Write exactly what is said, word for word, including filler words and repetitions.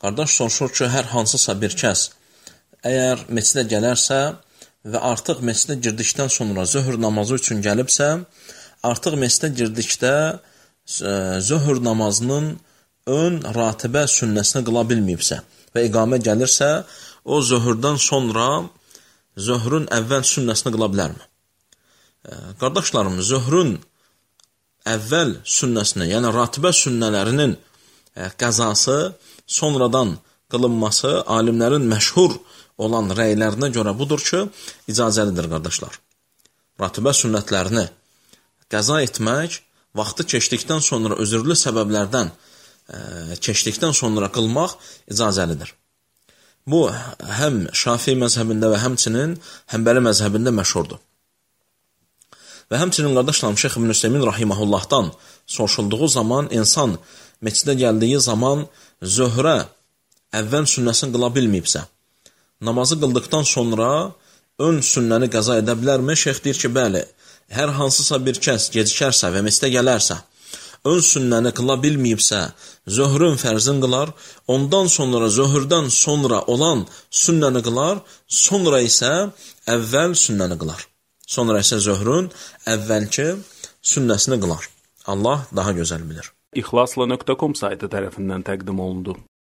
Qardaş soruşur ki, hər hansısa bir kəs əgər məscidə gələrsə və artıq məscidə girdikdən sonra zöhr namazı üçün gəlibsə, artıq məscidə girdikdə zöhr namazının ön ratibə sünnəsini qıla bilməyibsə və iqamə gəlirsə, o zöhrdən sonra zöhrün əvvəl sünnəsini qıla bilərmi? Qardaşlarım, zöhrün əvvəl sünnəsini, yəni ratibə sünnələrinin qəzası sonradan qılınması alimlərin məşhur olan rəylərinə görə budur ki, icazəlidir, qardaşlar. Ratibə sünnətlərini qəza etmək, vaxtı keçdikdən sonra özürlü səbəblərdən keçdikdən sonra qılmaq icazəlidir. Bu, həm Şafii məzhəbində və həmçinin Həmbəli məzhəbində məşhurdur. Və həmçinin, qardaşlarım, Şeyx İbn Üseymin rahiməhullahdan soruşulduğu zaman, insan məscidə gəldiyi zaman zöhrə əvvəl sünnəsini qıla bilməyibsə, namazı qıldıqdan sonra ön sünnəni qəza edə bilərmi? Şeyx deyir ki, bəli, hər hansısa bir kəs gecikərsə və məscidə gələrsə, ön sünnəni qıla bilməyibsə, zöhrün fərzin qılar, ondan sonra zöhrdən sonra olan sünnəni qılar, sonra isə əvvəl sünnəni qılar. Sonra isə zöhrün əvvəlki sünnəsini qılar. Allah daha gözəl bilir. İxlasla nöqtə com saytı tərəfindən təqdim olundu.